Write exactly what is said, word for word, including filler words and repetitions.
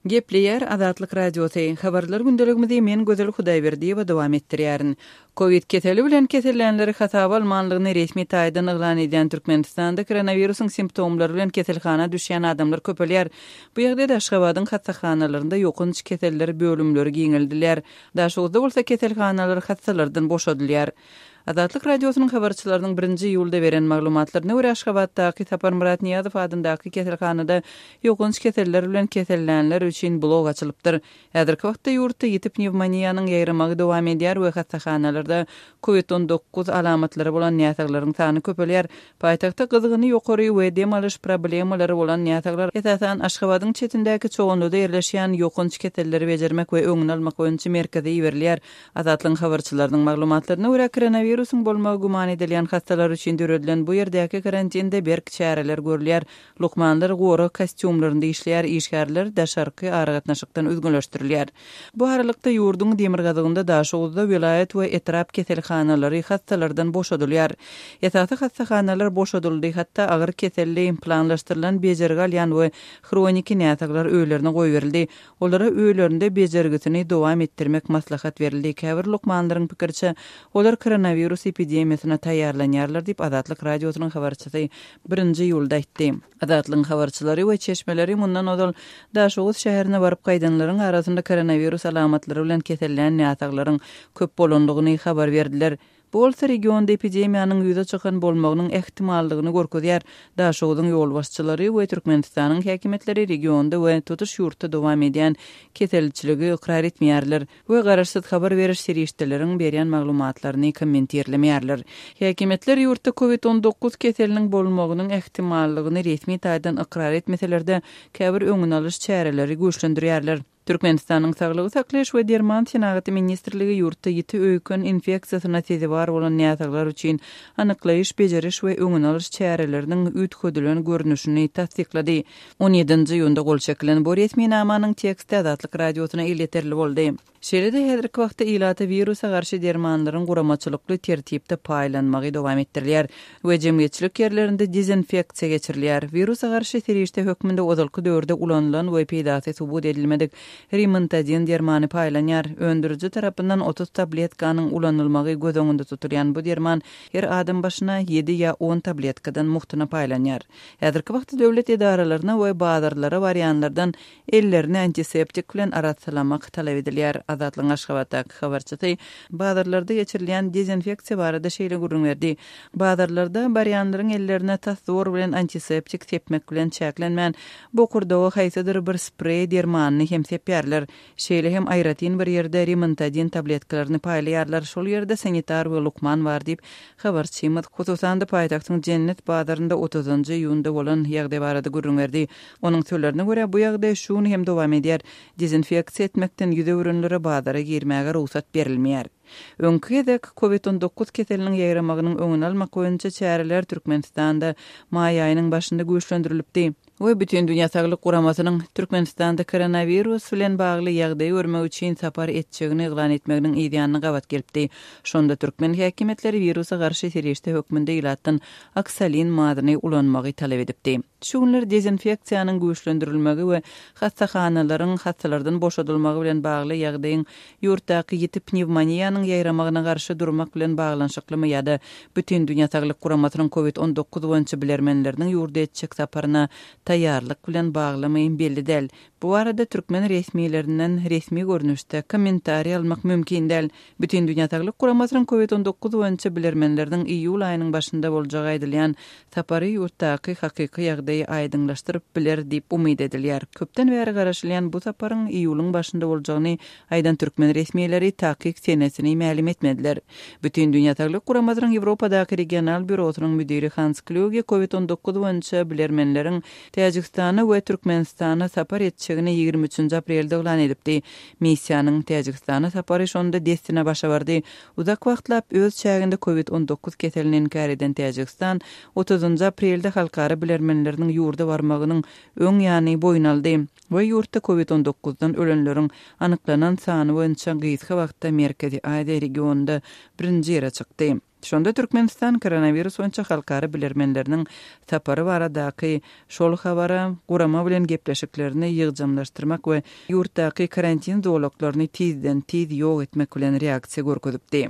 Gepleýär Azatlyk Radiosy. Habarlar gündeligimizi men Gözel Hudaýberdiýewa dowam etdirýärin. Covid keseli bilen kesellänleri hasaba almanlygyny resmi taýdan yglan edýän Türkmenistanda koronawirusyň simptomlary bilen keselhana düşýän adamlar köpelýär. Bu ýagdaýda Aşgabadyň hassahanalarynda ýokanç keseller bölümleri giňeldilýär. Daşoguzda bolsa keselhanalar hassalardan boşadylýar. Azatlyk Radiosynyň habarçylarynyň birinji iýulda beren maglumatlaryna görä, Aşgabatdaky Saparmyrat Nyýazow adyndaky keselhanada ýokanç keseller bilen kesellänler üçin blok açylypdyr. Häzirki wagtda ýurtda ýiti pnewmoniýanyň ýaýramagy dowam edýär we hassahanalarda Covid on dokuz alamatlary bolan näsaglaryň sany köpelýär. Paýtagtda gyzgyny ýokary we dem alyş problemalary bolan näsaglar, esasan, Aşgabadyň çetindäki Çoganlyda ýerleşýän ýokanç keselleri bejermek we öňüni almak boýunça merkeze iberilýär. Azatlygyň habarçylarynyň maglumatlaryna görä, koronawirusyň bolmagy güman edilýän hassalar üçin döredilen bu ýerdäki karantinde berk çäreler görülýär. Lukmanlar gorag kostýumlarynda işleýär, işgärler daşarky aragatnaşykdan üzňeleşdirilýär. Bu aralykda ýurduň demirgazygynda Daşoguzda welaýat we etrap keselhanalary hassalardan boşadylýar. Esasy hassahanalar boşadyldy, hatda agyr keselli, planlaşdyrylan bejergi alýan we hroniki näsaglar öýlerine goýberildi. Olara öýlerinde bejergisini dowam etdirmek maslahat berildi. Käbir lukmanlaryň pikiriçe, olar koronawirus epidemiýasyna taýýarlanýarlar diýip Azatlyk Radiosynyň habarçysy birinji iýulda aýtdy. Azatlygyň habarçylary we çeşmeleri mundan ozal Daşoguz şäherine baryp gaýdanlaryň arasynda koronawirus alamatlary bilen kesellän näsaglaryň köp bolandygyny habar berdiler. Bu bolsa regionda epidemiýanyň ýüze çykan bolmagynyň ähtimallygyny görkezýär. Daşoguzyň ýolbaşçylary we Türkmenistanyň häkimiýetleri regionda we tutuş ýurtda dowam edýän keselçiligi ykrar etmeýärler we garaşsyz habar beriş serişdeleriň berýän maglumatlaryny kommentirlemeýärler. Häkimiýetler ýurtda Covid on dokuz keseliniň bolmagynyň ähtimallygyny resmi taýdan ykrar etmeseler-de, käbir öňüni alyş çäreleri güýçlendirýärler. Türkmenistanyň Saglygy saklaýyş we derman senagaty ministrligi ýurtda ýiti öýken infeksiýasyna sezewar bolan näsaglar üçin anyklaýyş, bejeriş we öňüni alyş çäreleriniň üýtgedilen görnüşini tassyklady. On ýedinji iýunda gol çekilen bu resminamanyň teksti Azatlyk Radiosyna elýeterli boldy. Şeýle-de häzirki wagtda ilata wirusa garşy dermanlaryň guramaçylykly tertipde paýlanmagy dowam etdirilýär we jemgyýetçilik ýerlerinde dezinfeksiýa geçirilýär. Wirusa garşy serişde hökmünde ozalky döwürde ulanylan we peýdasy subut edilmedik rimantadin dermany paýlanýar. Öndüriji tarapyndan otuz tabletkanyň ulanylmagy göz öňünde tutulýan bu derman her adam başyna ýedi ýa on tabletkadan muhtuna paýlanýar. Häzirki wagtda döwlet edaralaryna we bazarlara barýanlardan ellerini antiseptik bilen arassalamak talap edilýär. Azatlygyň Aşgabatdaky habarçysy bazarlarda geçirilýän dezinfeksiýa barada şeýle gürrüň berdi. Bazarlarda barýanlaryň ellerine tas zor bilen antiseptik sepmek bilen çäklenmän, bokurdaga haýsydyr bir spreý dermanyny hem sepýärler. Şeýle hem aýratyn bir ýerde rimantadin tabletkalaryny paýlaýarlar. Şol ýerde sanitar we lukman bar diýip, habarçymyz hususan-da paýtagtyň Jennet bazarynda otuzynjy iýunda bolan ýagdaý barada gürrüň berdi. Onuň sözlerine görä, bu ýagdaý şu gün hem dowam edýär. Dezinfeksiýa etmekden ýüz öwrenlere bazara girmäge rugsat berilmeýär. Öňki gezek Covid on dokuz keseliniň ýaýramagynyň öňüni almak boýunça çäreler Türkmenistanda maý aýynyň başynda güýçlendirilipdi. We Bütindünýä Saglyk Guramasynyň Türkmenistanda koronawirus bilen bagly ýagdaýy görmek üçin sapar etjegini yglan etmeginiň yz ýanyna gabat gelipdi. Şonda türkmen häkimiýetleri wirusa garşy serişde hökmünde ilatdan oksalin mazyny ulanmagy talap edipdi. Şu günler dezinfeksiýanyň güýçlendirilmegi we hassahanalaryň hassalardan boşadylmagy bilen bagly ýagdaýyň ýurtdaky ýiti pnewmoniýanyň ýaýramagyna garşy durmak bilen baglanyşyklymy ýa-da Bütindünýä Saglyk Guramasynyň Covid on dokuz boýunça bilermenleriniň ýurda etjek saparyna taýýarlyk bilen baglymy belli däl. Bu barada türkmen resmilerinden resmi görnüşde kommentariý almak mümkin däl. Bütindünýä Saglyk Guramasynyň Covid on dokuz boýunça bilermenleriniň iýul aýynyň başynda boljagy aýdylýan sapary ýurtdaky hakyky ýagdaýy aýdyňlaşdyryp biler diýip umyt edilýär. Köpden bäri garaşylýan bu saparyň iýulyň başynda boljagyny aýdan türkmen resmileri takyk senesini mälim etmediler. Bütindünýä Saglyk Guramasynyň Ýewropadaky regional býurosynyň müdiri Hans Kluge Covid on dokuz boýunça bilermenleriň Täjigistana we Türkmenistana sapar etjegini ýigrimi üçünji aprelde yglan edipdi. Missiýanyň Täjigistana sapary şonda dessine başa bardy. Uzak wagtlap öz çäginde Covid on dokuz keselini inkär eden Täjigistan otuzynjy aprelde halkara bilermenleriniň ýurda barmagynyň öň ýany boýun aldy we ýurtda Covid on dokuzdan ölenleriň anyklanan sany boýunça gysga wagtda Merkezi Aziýa regionynda birinji ýere çykdy. Şonda Türkmenistan koronawirus boýunça halkara bilermenleriniň sapary baradaky şol habara gurama bilen gepleşiklerini ýygjamlaşdyrmak we ýurtdaky karantin zolaklaryny tizden-tiz ýok etmek bilen reaksiýa görkezipdi.